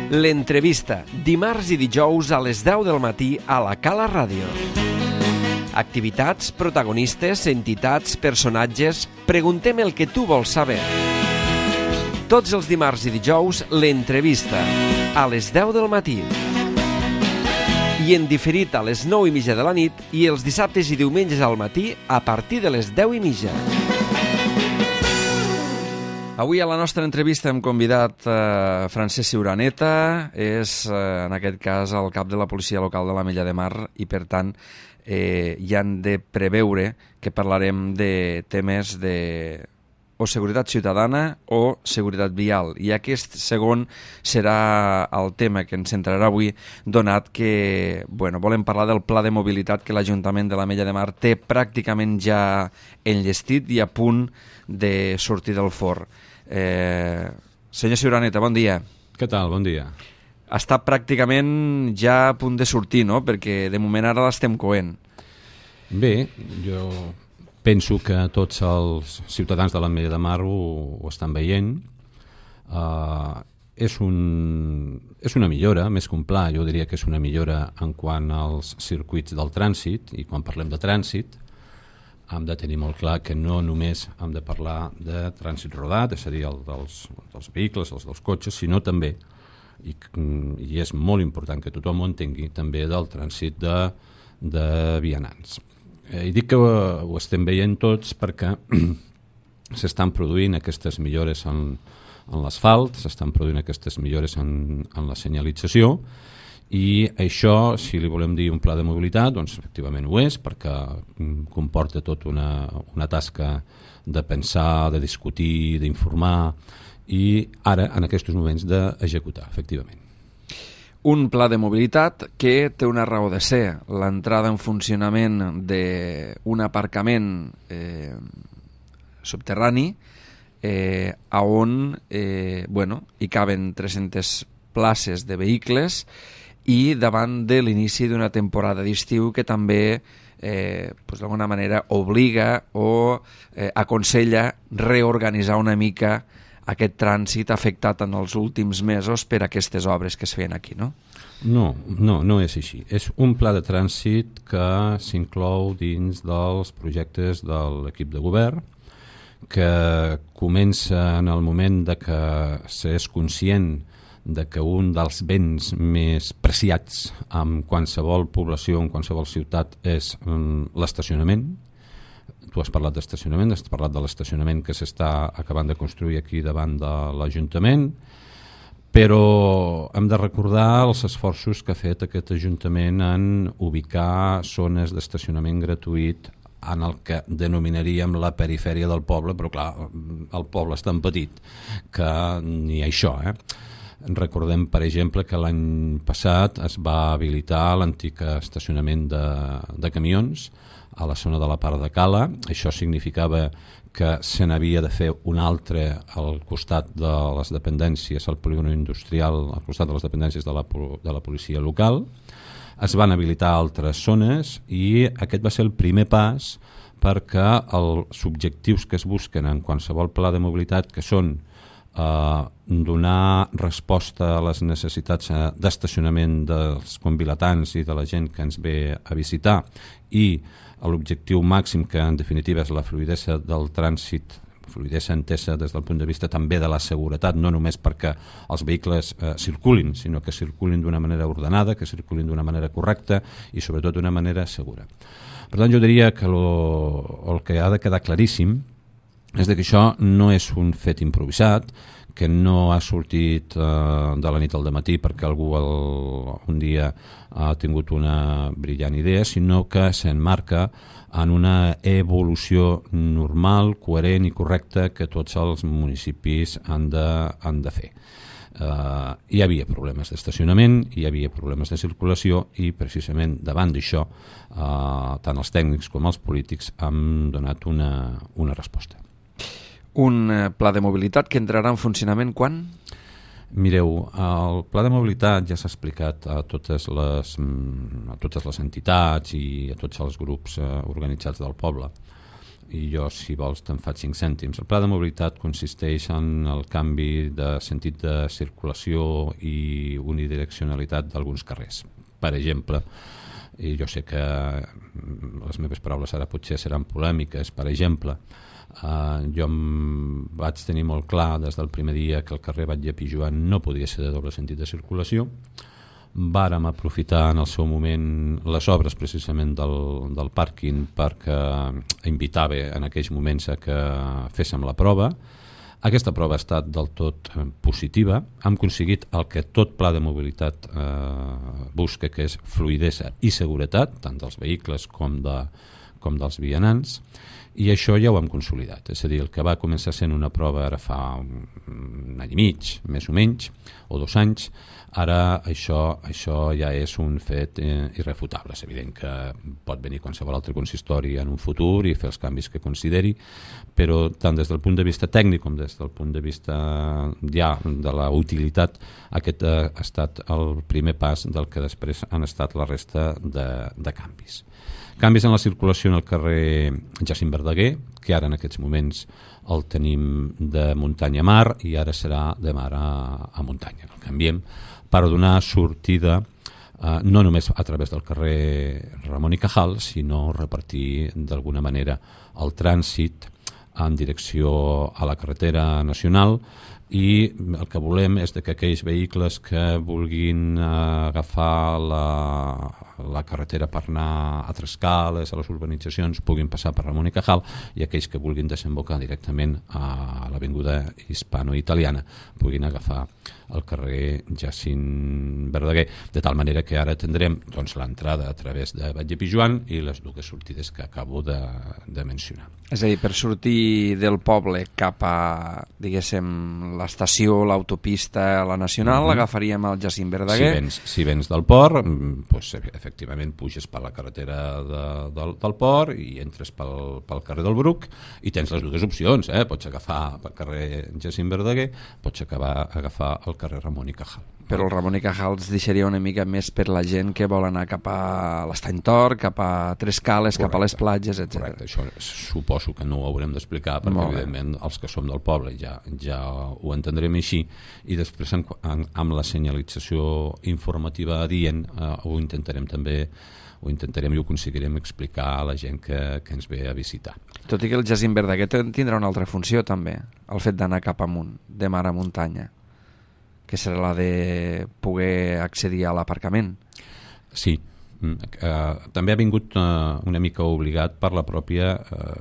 L'entrevista, dimarts i dijous a les 10 del matí a la Cala Ràdio. Activitats, protagonistes, entitats, personatges... Preguntem el que tu vols saber. Tots els dimarts i dijous, l'entrevista, a les 10 del matí. I en diferit a les 9:30 de la nit i els dissabtes i diumenges al matí a partir de les 10:30. Avui a la nostra entrevista hem convidat Francesc Ciuraneta, és en aquest cas el cap de la policia local de l'Ametlla de Mar i per tant ja han de preveure que parlarem de temes de o seguretat ciutadana o seguretat vial. I aquest segon serà el tema que ens centrarà avui, donat que volem parlar del pla de mobilitat que l'Ajuntament de l'Ametlla de Mar té pràcticament ja enllestit i a punt de sortir del forn. Senyor Ciuraneta, bon dia. Què tal? Bon dia. Està pràcticament ja a punt de sortir, no? Perquè de moment ara l'estem coent. Bé, jo penso que tots els ciutadans de l'Ametlla de Mar ho estan veient. És una millora, més que un pla, jo diria que és una millora en quant als circuits del trànsit, i quan parlem de trànsit hem de tenir molt clar que no només hem de parlar de trànsit rodat, és a dir, dels vehicles, dels cotxes, sinó també, i és molt important que tothom ho entengui, també del trànsit de vianants. I dic que ho estem veient tots perquè s'estan produint aquestes millores en l'asfalt, s'estan produint aquestes millores en la senyalització, i això, si li volem dir un pla de mobilitat, doncs efectivament ho és, perquè comporta tota una tasca de pensar, de discutir, d'informar, i ara, en aquests moments, d'executar, efectivament. Un pla de mobilitat que té una raó de ser, l'entrada en funcionament d'un aparcament subterrani on hi caben 300 places de vehicles i davant de l'inici d'una temporada d'estiu que també d'alguna manera obliga o aconsella reorganitzar una mica aquest trànsit afectat en els últims mesos per aquestes obres que es feien aquí, no? No és així. És un pla de trànsit que s'inclou dins dels projectes de l'equip de govern, que comença en el moment de que s'és conscient de que un dels béns més preciats en qualsevol població, en qualsevol ciutat, és l'estacionament. Tu has parlat d'estacionament, has parlat de l'estacionament que s'està acabant de construir aquí davant de l'Ajuntament, però hem de recordar els esforços que ha fet aquest Ajuntament en ubicar zones d'estacionament gratuït en el que denominaríem la perifèria del poble, però clar, el poble és tan petit que ni això, Recordem, per exemple, que l'any passat es va habilitar l'antic estacionament de camions a la zona de la part de Cala. Això significava que se n'havia de fer un altre al costat de les dependències, al polígon industrial, al costat de les dependències de la policia local. Es van habilitar altres zones i aquest va ser el primer pas perquè els objectius que es busquen en qualsevol pla de mobilitat, que són donar resposta a les necessitats d'estacionament dels convilatans i de la gent que ens ve a visitar, i l'objectiu màxim, que en definitiva és la fluïdesa del trànsit, fluïdesa entesa des del punt de vista també de la seguretat, no només perquè els vehicles circulin, sinó que circulin d'una manera ordenada, que circulin d'una manera correcta i sobretot d'una manera segura. Per tant, jo diria que el que ha de quedar claríssim és que això no és un fet improvisat, que no ha sortit de la nit al dematí perquè algú un dia ha tingut una brillant idea, sinó que s'emmarca en una evolució normal, coherent i correcta que tots els municipis han de fer. Hi havia problemes d'estacionament, hi havia problemes de circulació i precisament davant d'això tant els tècnics com els polítics han donat una resposta. Un pla de mobilitat que entrarà en funcionament quan? Mireu, el pla de mobilitat ja s'ha explicat a totes les entitats i a tots els grups organitzats del poble. i jo, si vols, te'n faig 5 cèntims. El pla de mobilitat consisteix en el canvi de sentit de circulació i unidireccionalitat d'alguns carrers. Per exemple, i jo sé que les meves paraules ara potser seran polèmiques, per exemple, jo vaig tenir molt clar des del primer dia que el carrer Batlle Pijoan no podia ser de doble sentit de circulació. Vàrem aprofitar en el seu moment les obres precisament del pàrquing perquè invitava en aquells moments a que féssim la prova. Aquesta prova ha estat del tot positiva. Hem aconseguit el que tot pla de mobilitat busca, que és fluïdesa i seguretat, tant dels vehicles com dels vianants, i això ja ho hem consolidat. És a dir, el que va començar sent una prova ara fa un any i mig, més o menys, o 2 anys, ara això ja és un fet irrefutable. És evident que pot venir qualsevol altre consistori en un futur i fer els canvis que consideri, però tant des del punt de vista tècnic com des del punt de vista ja de la utilitat, aquest ha estat el primer pas del que després han estat la resta de canvis. Canvis en la circulació en el carrer Jacint Verdaguer, que ara en aquests moments el tenim de muntanya a mar i ara serà de mar a muntanya. El canviem per donar sortida no només a través del carrer Ramon i Cajal, sinó repartir d'alguna manera el trànsit en direcció a la carretera nacional, i el que volem és que aquells vehicles que vulguin agafar la carretera per anar a Trescales, a les urbanitzacions, puguin passar per Ramon i Cajal, i aquells que vulguin desembocar directament a l'avinguda hispano-italiana puguin agafar el carrer Jacint Verdaguer, de tal manera que ara tindrem l'entrada a través de Batlle Pijoan i les 2 sortides que acabo de mencionar. És a dir, per sortir del poble cap a, diguéssim, l'estació, l'autopista, la nacional, agafaríem el Jacint Verdaguer. Si vens del port, doncs, efectivament puges per la carretera del port i entres pel carrer del Bruc i tens les 2 opcions, pots agafar el carrer Jacint Verdaguer, pots agafar el carrer Ramon i Cajal. Però el Ramon i Cajal es deixaria una mica més per la gent que vol anar cap a l'Estany Tor, cap a Trescales, cap a les platges, etc. Correcte, això suposo que no ho haurem d'explicar, perquè evidentment els que som del poble ja ho entendrem així, i després amb la senyalització informativa adient ho intentarem i ho aconseguirem explicar a la gent que ens ve a visitar. Tot i que el Jacint Verdaguer tindrà una altra funció també, el fet d'anar cap amunt, de mar a muntanya, que serà la de poder accedir a l'aparcament. Sí, també ha vingut una mica obligat per la pròpia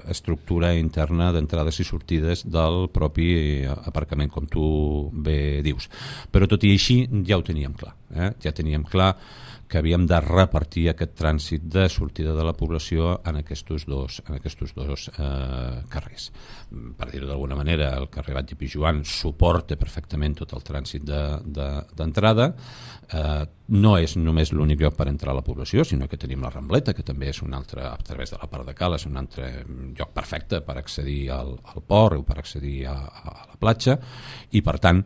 estructura interna d'entrades i sortides del propi aparcament, com tu bé dius. Però tot i així ja ho teníem clar. Ja teníem clar que havíem de repartir aquest trànsit de sortida de la població en aquests dos carrers. Per dir-ho d'alguna manera, el carrer Batlle Pijoan suporta perfectament tot el trànsit d'entrada. No és només l'únic lloc per entrar a la població, sinó que tenim la Rambleta, que també és un altre, a través de la part de Cala, és un altre lloc perfecte per accedir al port o per accedir a la platja, i per tant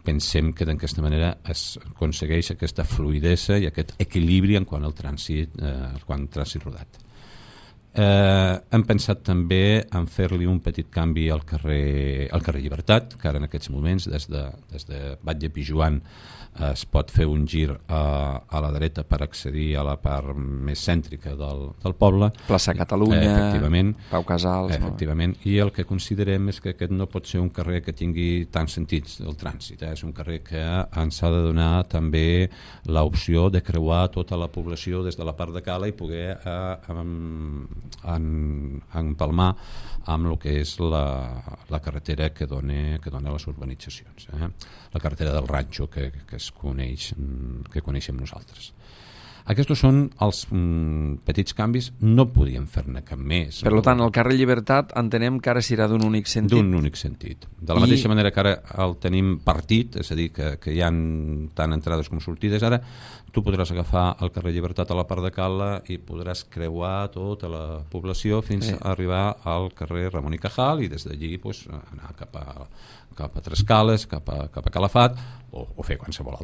pensem que d'aquesta manera es aconsegueix aquesta fluïdesa i aquest equilibri en quant al trànsit rodat. Hem pensat també en fer-li un petit canvi al carrer Llibertat, que ara en aquests moments des de Batlle Pijoan es pot fer un gir a la dreta per accedir a la part més cèntrica del poble. Plaça Catalunya, Pau Casals. Efectivament, i el que considerem és que aquest no pot ser un carrer que tingui tants sentits del trànsit. És un carrer que ens ha de donar també l'opció de creuar tota la població des de la part de Cala i poder empalmar amb el que és la carretera que dona a les urbanitzacions, la carretera del Ranxo que coneixem nosaltres. Aquests són els petits canvis, no podíem fer-ne cap més. Per tant, el carrer Llibertat entenem que ara serà d'un únic sentit. D'un únic sentit. De la mateixa manera que ara el tenim partit, és a dir, que hi ha tant entrades com sortides, ara tu podràs agafar el carrer Llibertat a la part de Cala i podràs creuar tota la població fins a arribar al carrer Ramon i Cajal i des d'allí anar cap a Trescales, cap a Calafat o fer qualsevol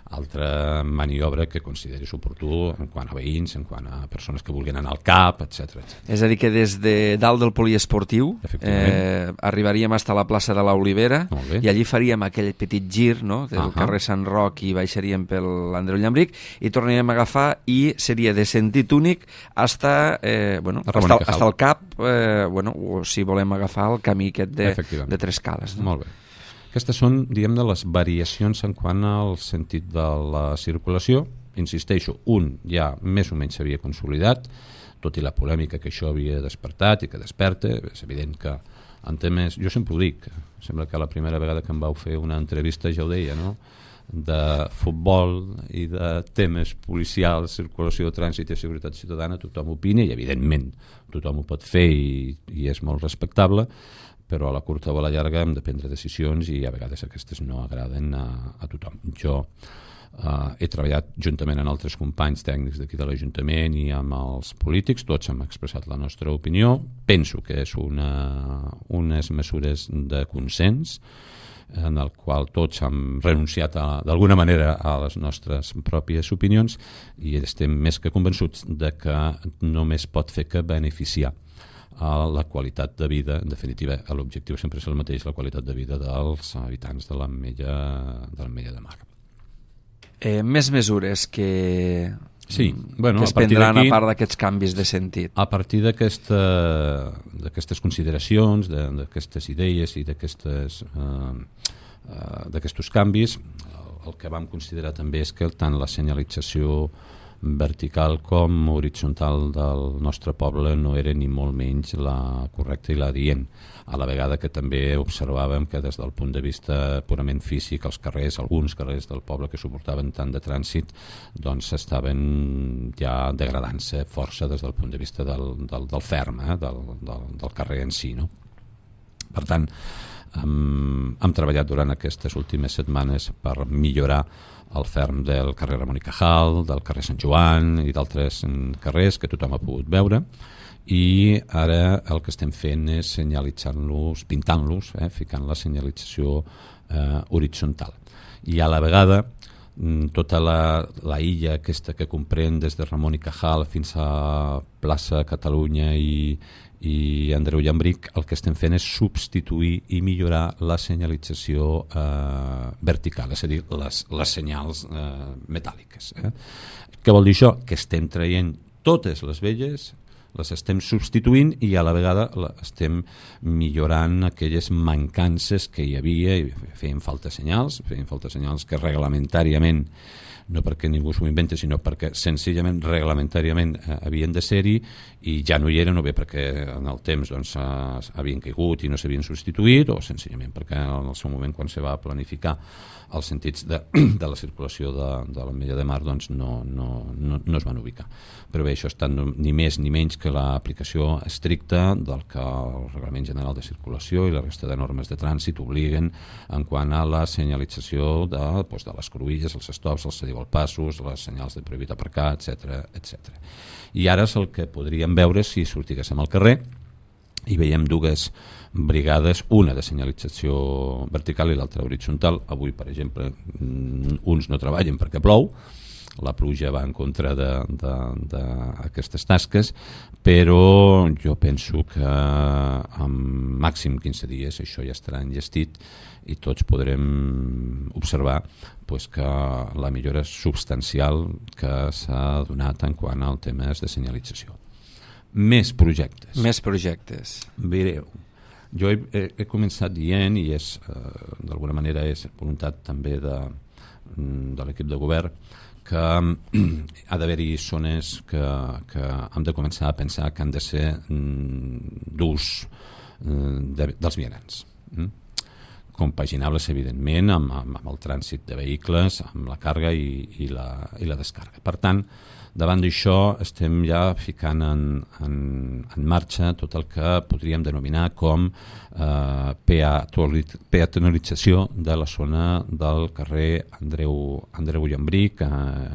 altra maniobra que consideris oportú en quant a veïns, en quant a persones que vulguin anar al CAP, etc. És a dir, que des de dalt del poliesportiu arribaríem fins a la plaça de l'Olivera i allí faríem aquell petit gir, no?, del carrer Sant Roc i baixaríem per l'Andreu Llambric i tornaríem a agafar i seria de sentit únic hasta el CAP, o si volem agafar el camí aquest de Tres Cales. No? Molt bé. Aquestes són, diguem-ne, les variacions en quant al sentit de la circulació. Insisteixo, un ja més o menys s'havia consolidat, tot i la polèmica que això havia despertat i que desperta. És evident que en temes, jo sempre ho dic, sembla que la primera vegada que em vau fer una entrevista ja ho deia, no?, de futbol i de temes policials, circulació, trànsit i seguretat ciutadana, tothom opina i evidentment tothom ho pot fer i és molt respectable, però a la curta o a la llarga hem de prendre decisions i a vegades aquestes no agraden a tothom. Jo he treballat juntament amb altres companys tècnics d'aquí de l'Ajuntament i amb els polítics, tots hem expressat la nostra opinió, penso que és unes mesures de consens en el qual tots hem renunciat d'alguna manera a les nostres pròpies opinions i estem més que convençuts de que només pot fer que beneficiar a la qualitat de vida. En definitiva, l'objectiu sempre és el mateix, la qualitat de vida dels habitants de l'Ametlla de Mar. Més mesures que sí, bueno, es prendran a part d'aquests canvis de sentit. A partir d'aquestes consideracions, d'aquestes idees i d'aquests canvis, el que vam considerar també és que tant la senyalització vertical com horitzontal del nostre poble no era ni molt menys la correcta i la adient, a la vegada que també observàvem que des del punt de vista purament físic els carrers, alguns carrers del poble que suportaven tant de trànsit, doncs estaven ja degradant-se força des del punt de vista del ferm, del carrer en si, no? Per tant, hem treballat durant aquestes últimes setmanes per millorar el ferm del carrer Ramon i Cajal, del carrer Sant Joan i d'altres carrers que tothom ha pogut veure, i ara el que estem fent és senyalitzant-los, pintant-los, ficant la senyalització horitzontal. I a la vegada tota la illa aquesta que comprèn des de Ramon i Cajal fins a plaça Catalunya i Andreu Llambric, el que estem fent és substituir i millorar la senyalització vertical, és a dir, les senyals metàl·liques. Què vol dir això? Que estem traient totes les velles, les estem substituint i a la vegada estem millorant aquelles mancances que hi havia i feien falta senyals que reglamentàriament, no perquè ningú s'ho inventa, sinó perquè senzillament reglamentàriament havien de ser-hi i ja no hi eren, o bé perquè en el temps doncs, havien caigut i no s'havien substituït, o senzillament perquè en el seu moment quan se va planificar els sentits de la circulació de l'Ametlla de Mar doncs no es van ubicar. Però bé, això està ni més ni menys que l'aplicació estricta del que el Reglament General de Circulació i la resta de normes de trànsit obliguen en quant a la senyalització de les cruïlles, els stops, els cedivolpassos, les senyals de prohibit aparcar, etc. I ara és el que podríem veure si sortiguéssim al carrer i veiem dues brigades, una de senyalització vertical i l'altra horitzontal. Avui, per exemple, uns no treballen perquè plou, la pluja va en contra d'aquestes tasques, però jo penso que en màxim 15 dies això ja estarà enllestit i tots podrem observar que la millora substancial que s'ha donat en quant al temes de senyalització. Més projectes. Mireu, jo he començat dient, i d'alguna manera és voluntat també de l'equip de govern, que ha d'haver-hi zones que hem de començar a pensar que han de ser d'ús dels vianants. Compaginables, evidentment, amb el trànsit de vehicles, amb la càrrega i la descàrrega. Per tant, davant d'això estem ja ficant en marxa tot el que podríem denominar com peatonalització de la zona del carrer Andreu Llambric,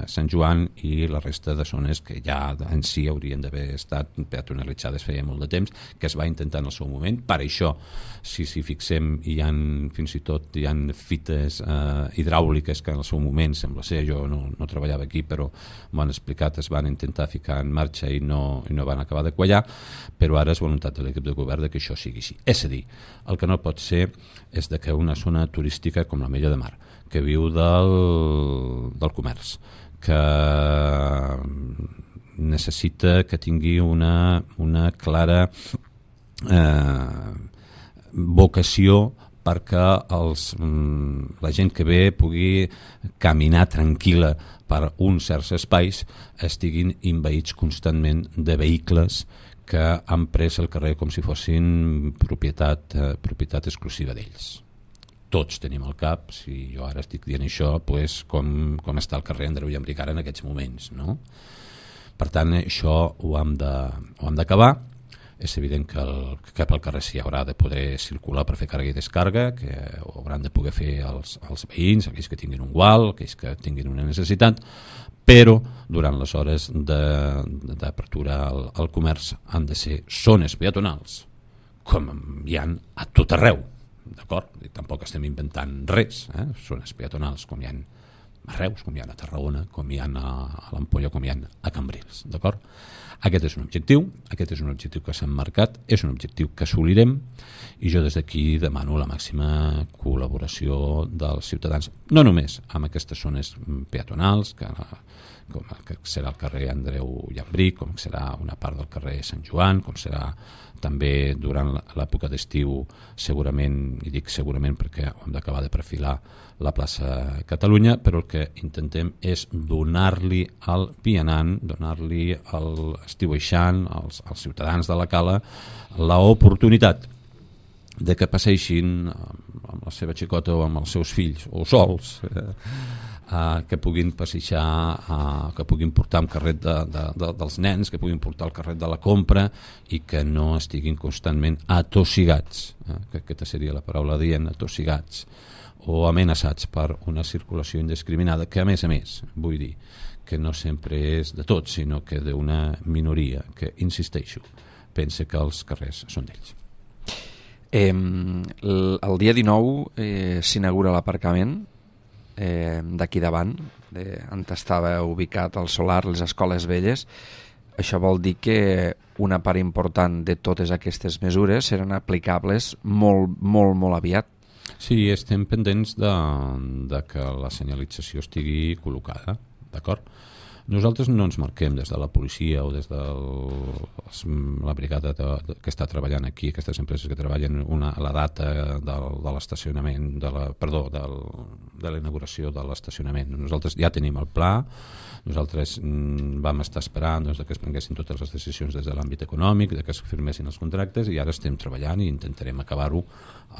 Sant Joan i la resta de zones que ja en si haurien d'haver estat peatonalitzades feia molt de temps, que es va intentar en el seu moment. Per això, si fixem, hi ha fins i tot hi ha fites hidràuliques que en el seu moment, sembla ser, jo no treballava aquí, però m'ho han explicat, es van intentar ficar en marxa i no van acabar de quallar, però ara és voluntat de l'equip de govern que això sigui així. És a dir, el que no pot ser és de que una zona turística com l'Ametlla de Mar, que viu del comerç, que necessita que tingui una clara vocació perquè la gent que ve pugui caminar tranquil·la per uns certs espais, estiguin envaïts constantment de vehicles que han pres el carrer com si fossin propietat exclusiva d'ells. Tots tenim al cap, si jo ara estic dient això, pues, com està el carrer Andreu Llambrí ara en aquests moments, no? Per tant, això ho hem d'acabar. És evident que pel carrer s'hi haurà de poder circular per fer càrrega i descarga, que ho hauran de poder fer els veïns, aquells que tinguin un gual, aquells que tinguin una necessitat, però durant les hores d'apertura al comerç han de ser zones peatonals, com hi ha a tot arreu. D'acord? Tampoc estem inventant res, zones peatonals com hi ha a Reus, com hi ha a Tarragona, com hi ha a l'Ampolla, com hi ha a Cambrils, d'acord? Aquest és un objectiu que s'han marcat, és un objectiu que assolirem, i jo des d'aquí demano la màxima col·laboració dels ciutadans, no només amb aquestes zones peatonals, com que serà el carrer Andreu Llambrí, com serà una part del carrer Sant Joan, com serà també durant l'època d'estiu, segurament, i dic segurament perquè hem d'acabar de perfilar la plaça Catalunya, però el que intentem és donar-li al vianant, donar-li al estiueixant, als ciutadans de la Cala, l'oportunitat de que passeixin amb la seva xicota o amb els seus fills, o sols, que puguin passejar, que puguin portar un carret dels nens, que puguin portar el carret de la compra i que no estiguin constantment atossigats, que aquesta seria la paraula dient, atossigats o amenaçats per una circulació indiscriminada, que a més, vull dir que no sempre és de tots, sinó que d'una minoria que, insisteixo, pensa que els carrers són d'ells. El dia 19 s'inaugura l'aparcament d'aquí davant, on estava ubicat el solar, les escoles velles. Això vol dir que una part important de totes aquestes mesures seran aplicables molt, molt, molt aviat. Sí, estem pendents de que la senyalització estigui col·locada, d'acord? Nosaltres no ens marquem des de la policia o des de la brigada que està treballant aquí, aquestes empreses que treballen la data de l'estacionament, de la inauguració de l'estacionament. Nosaltres ja tenim el pla, nosaltres vam estar esperant que es prenguessin totes les decisions des de l'àmbit econòmic, que es firmessin els contractes, i ara estem treballant i intentarem acabar-ho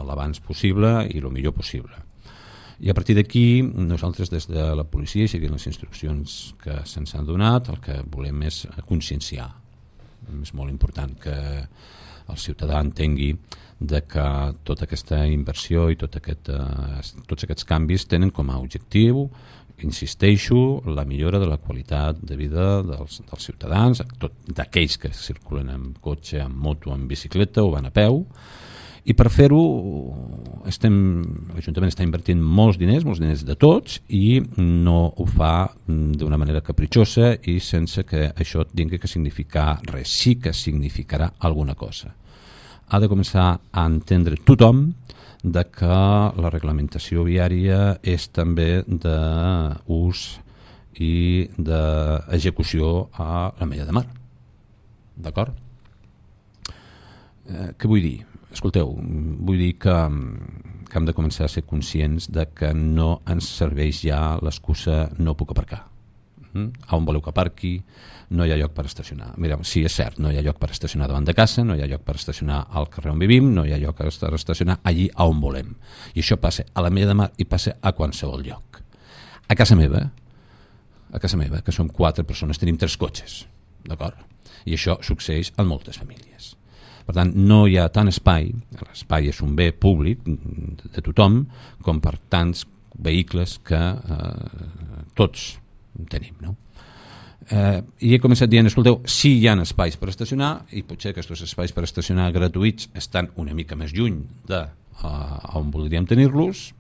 l'abans possible i el millor possible. I a partir d'aquí, nosaltres des de la policia, seguint les instruccions que se'ns han donat, el que volem és conscienciar. És molt important que el ciutadà entengui que tota aquesta inversió i tots aquests canvis tenen com a objectiu, insisteixo, la millora de la qualitat de vida dels ciutadans, d'aquells que circulen amb cotxe, amb moto, amb bicicleta o van a peu. I per fer-ho l'Ajuntament està invertint molts diners de tots, i no ho fa d'una manera capritxosa i sense que això tingui que significar res. Sí que significarà alguna cosa. Ha de començar a entendre tothom de que la reglamentació viària és també d'ús i d'execució a l'Ametlla de Mar. D'acord? Què vull dir? Escolteu, vull dir que hem de començar a ser conscients de que no ens serveix ja l'excusa no puc aparcar. A on voleu que aparqui? No hi ha lloc per estacionar. Mira, sí, és cert, no hi ha lloc per estacionar davant de casa, no hi ha lloc per estacionar al carrer on vivim, no hi ha lloc per estacionar allí on volem. I això passa a l'Ametlla de Mar i passa a qualsevol lloc. A casa meva, que som 4 persones, tenim 3 cotxes, d'acord? I això succeeix en moltes famílies. Per tant, no hi ha tant espai, l'espai és un bé públic de tothom, com per tants vehicles que tots tenim, no? I he començat dient, escolteu, sí hi ha espais per estacionar, i potser aquests espais per estacionar gratuïts estan una mica més lluny de on voldríem tenir-los.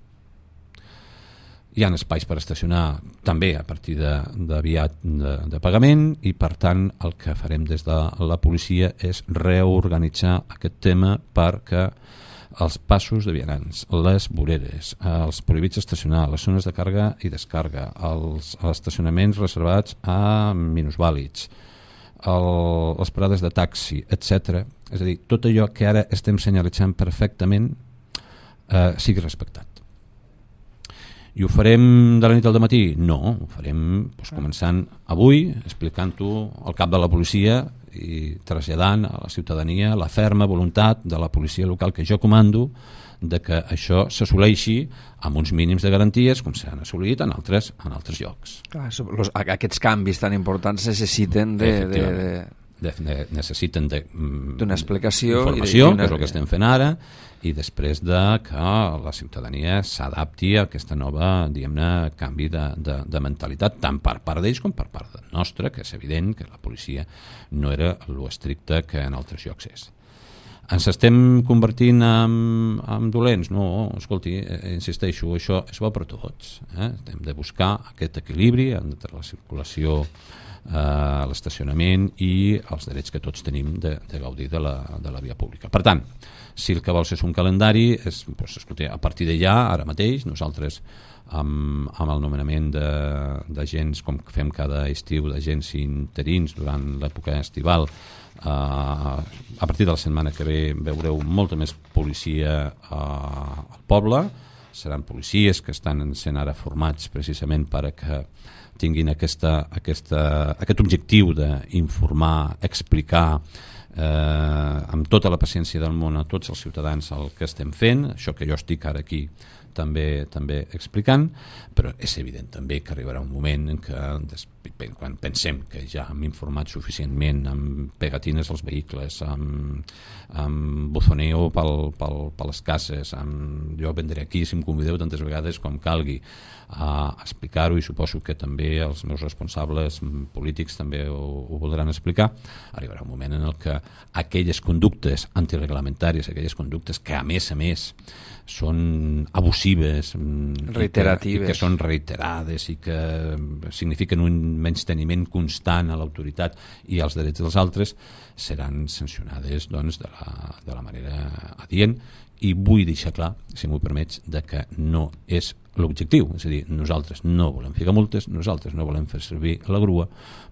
Hi ha espais per estacionar també a partir de viat de pagament, i per tant el que farem des de la policia és reorganitzar aquest tema perquè els passos de vianants, les voreres, els prohibits d'estacionar, les zones de càrrega i descàrrega, els estacionaments reservats a minusvàlids, les parades de taxi, etc. És a dir, tot allò que ara estem senyalitzant perfectament sigui respectat. I ho farem de la nit al dematí? No, ho farem començant avui, explicant-ho al cap de la policia i traslladant a la ciutadania la ferma voluntat de la policia local que jo comando de que això s'assoleixi amb uns mínims de garanties com s'han assolit en altres llocs. Clar, aquests canvis tan importants necessiten necessiten d'una explicació, informació, que és el que estem fent ara, i després de que la ciutadania s'adapti a aquesta nova, diguem-ne, canvi de mentalitat, tant per part d'ells com per part nostra, que és evident que la policia no era lo estricte que en altres llocs és. Ens estem convertint en dolents? No, escolti, insisteixo, això és bo per tots. Hem de buscar aquest equilibri entre la circulació, l'estacionament i els drets que tots tenim de gaudir de la via pública. Per tant, si el que vols és un calendari, escolta, a partir d'allà, ara mateix, nosaltres amb el nomenament d'agents, com fem cada estiu, d'agents interins durant l'època estival, a partir de la setmana que ve veureu molta més policia al poble. Seran policies que estan sent ara formats precisament perquè tinguin aquest objectiu d'informar, explicar amb tota la paciència del món a tots els ciutadans el que estem fent, això que jo estic ara aquí també explicant, però és evident també que arribarà un moment en què quan pensem que ja hem informat suficientment amb pegatines als vehicles, amb buzoneo per les cases, jo vendré aquí si em convideu tantes vegades com calgui a explicar-ho, i suposo que també els meus responsables polítics també ho voldran explicar. Arribarà un moment en el que aquelles conductes antireglamentàries, aquelles conductes que a més són abusives, reiteratives, que són reiterades i que signifiquen un menysteniment constant a l'autoritat i als drets dels altres, seran sancionades doncs, de la manera adient. I vull deixar clar, si m'ho permets, que no és l'objectiu. És a dir, nosaltres no volem ficar multes, nosaltres no volem fer servir la grua,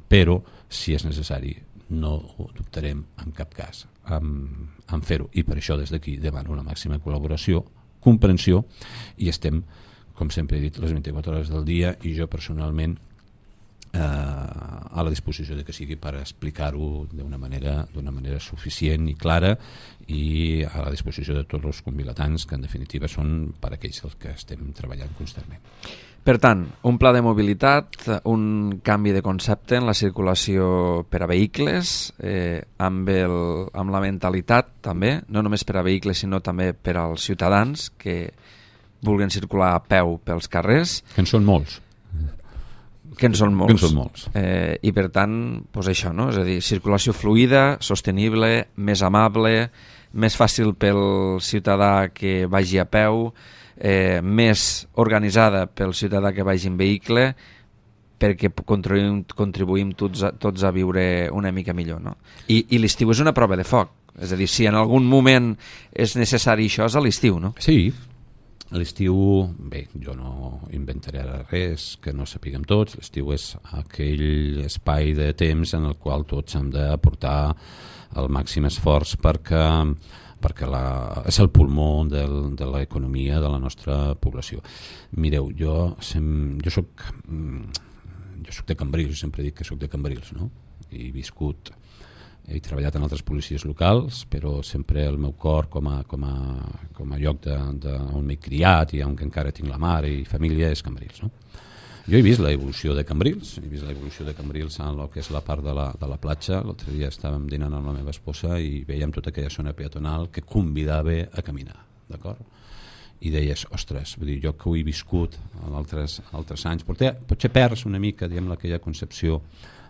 però si és necessari no ho dubtarem en cap cas en fer-ho, i per això des d'aquí demano una màxima col·laboració, comprensió, i estem, com sempre he dit, les 24 hores del dia, i jo personalment a la disposició de que sigui per explicar-ho d'una manera suficient i clara, i a la disposició de tots els convilatants, que en definitiva són per aquells els que estem treballant constantment. Per tant, un pla de mobilitat, un canvi de concepte en la circulació per a vehicles, amb la mentalitat també, no només per a vehicles sinó també per als ciutadans que vulguin circular a peu pels carrers. Que en són molts. I per tant, doncs això, no? És a dir, circulació fluida, sostenible, més amable, més fàcil pel ciutadà que vagi a peu, més organitzada pel ciutadà que vagi en vehicle, perquè contribuïm tots a viure una mica millor, no? I l'estiu és una prova de foc, és a dir, si en algun moment és necessari això és a l'estiu, no? Sí. L'estiu, bé, jo no inventaré res que no sapiguem tots. L'estiu és aquell espai de temps en el qual tots hem d'aportar el màxim esforç perquè és el pulmó de l'economia de la nostra població. Mireu, jo soc de Cambrils, sempre dic que soc de Cambrils, no? He treballat en altres policies locals, però sempre el meu cor com a lloc on m'he criat i on encara tinc la mare i família és Cambrils, no? Jo he vist l'evolució de Cambrils, en el que és la part de la platja. L'altre dia estàvem dinant amb la meva esposa i veiem tota aquella zona peatonal que convidava a caminar, d'acord? i deies, ostres, vull dir, jo que ho he viscut en altres anys, potser perds una mica, diguem, aquella concepció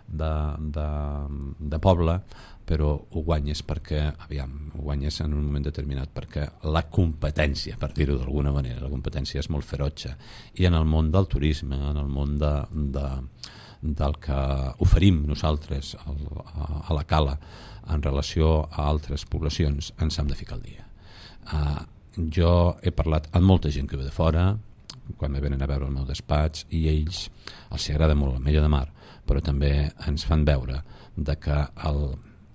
de poble, però ho guanyes perquè, ho guanyes en un moment determinat perquè la competència, per dir-ho d'alguna manera, la competència és molt ferotge, i en el món del turisme, en el món del que oferim nosaltres a la Cala en relació a altres poblacions, ens hem de ficar al dia. Jo he parlat amb molta gent que ve de fora quan me venen a veure el meu despatx, i ells els agrada molt l'Ametlla de Mar, però també ens fan veure de que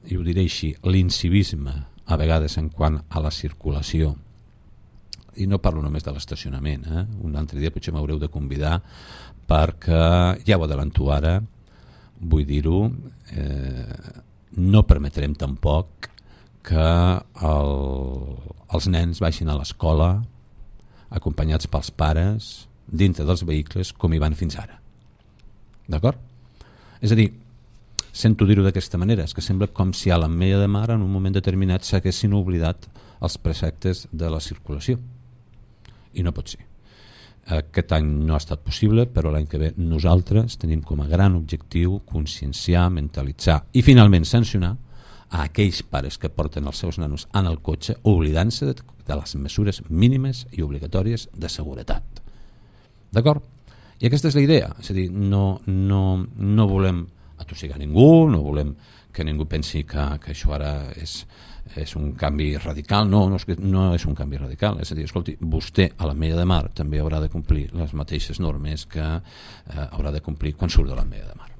i ho diré així, l'incivisme a vegades en quant a la circulació, i no parlo només de l'estacionament, un altre dia potser m'haureu de convidar perquè, ja ho adelanto ara, vull dir-ho, no permetrem tampoc que els nens vagin a l'escola acompanyats pels pares dintre dels vehicles com hi van fins ara. D'acord? És a dir, sento dir-ho d'aquesta manera, és que sembla com si a l'Ametlla de Mar en un moment determinat s'haguessin oblidat els preceptes de la circulació, i no pot ser. Aquest any no ha estat possible, però l'any que ve nosaltres tenim com a gran objectiu conscienciar, mentalitzar i finalment sancionar a aquells pares que porten els seus nanos en el cotxe oblidant-se de les mesures mínimes i obligatòries de seguretat. D'acord? I aquesta és la idea, és a dir, no volem atossigar ningú, no volem que ningú pensi que això ara és un canvi radical. No és un canvi radical, és a dir, escolti, vostè a l'Ametlla de Mar també haurà de complir les mateixes normes que haurà de complir quan surt de l'Ametlla de Mar.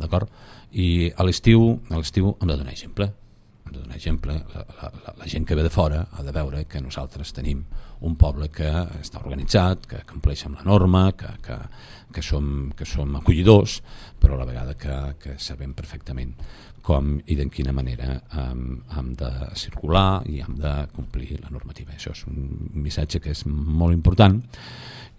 D'acord? I a l'estiu hem de donar exemple. Hem de donar exemple. La gent que ve de fora ha de veure que nosaltres tenim un poble que està organitzat, que compleix amb la norma, que som acollidors, però a la vegada que sabem perfectament com i de quina manera hem de circular i hem de complir la normativa. Això és un missatge que és molt important,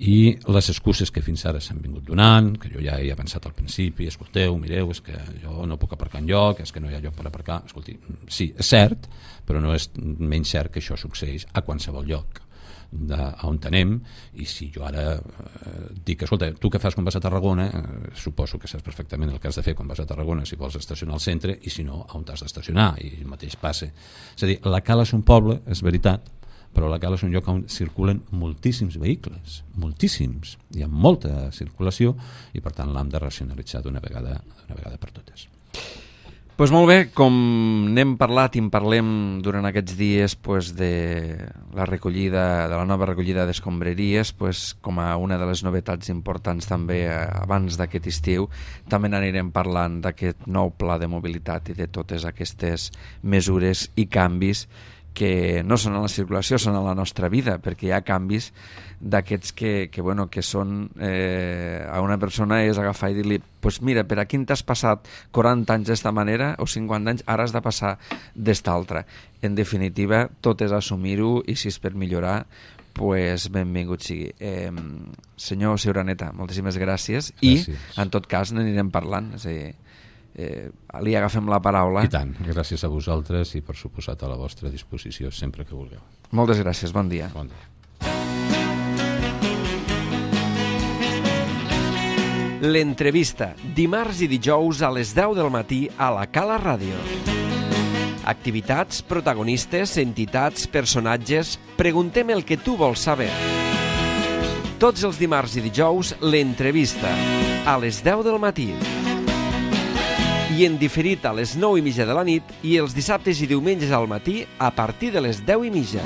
i les excuses que fins ara s'han vingut donant, que jo ja he avançat al principi, escolteu, mireu, és que jo no puc aparcar enlloc, és que no hi ha lloc per aparcar. Escolti, sí, és cert, però no és menys cert que això succeeix a qualsevol lloc on anem. I si jo ara dic, escolta, tu què fas quan vas a Tarragona, suposo que saps perfectament el que has de fer quan vas a Tarragona si vols estacionar al centre, i si no, on t'has d'estacionar, i el mateix passa. És a dir, la Cala és un poble, és veritat, però la Cala és un lloc on circulen moltíssims vehicles, moltíssims, hi ha molta circulació, i per tant l'hem de racionalitzar d'una vegada per totes. Pues molt bé, com n'hem parlat i en parlem durant aquests dies de la recollida, de la nova recollida d'escombraries, com a una de les novetats importants també abans d'aquest estiu, també n'anirem parlant d'aquest nou pla de mobilitat i de totes aquestes mesures i canvis que no són a la circulació, són a la nostra vida, perquè hi ha canvis d'aquests que són a una persona és agafar i dir-li, pues mira, per aquí t'has passat 40 anys d'esta manera o 50 anys, ara has de passar d'esta altra. En definitiva, tot és assumir-ho, i si és per millorar, pues benvingut sigui. Senyor Ciuraneta, moltíssimes gràcies. I en tot cas n'anirem parlant, és a dir, li agafem la paraula. I tant, gràcies a vosaltres, i per suposat a la vostra disposició sempre que vulgueu. Moltes gràcies, bon dia. Bon dia. L'entrevista, dimarts i dijous a les 10 del matí a la Cala Ràdio. Activitats, protagonistes, entitats, personatges, preguntem el que tu vols saber. Tots els dimarts i dijous, l'entrevista, a les 10 del matí. I en diferit a les 9:30 de la nit, i els dissabtes i diumenges al matí a partir de les 10:30.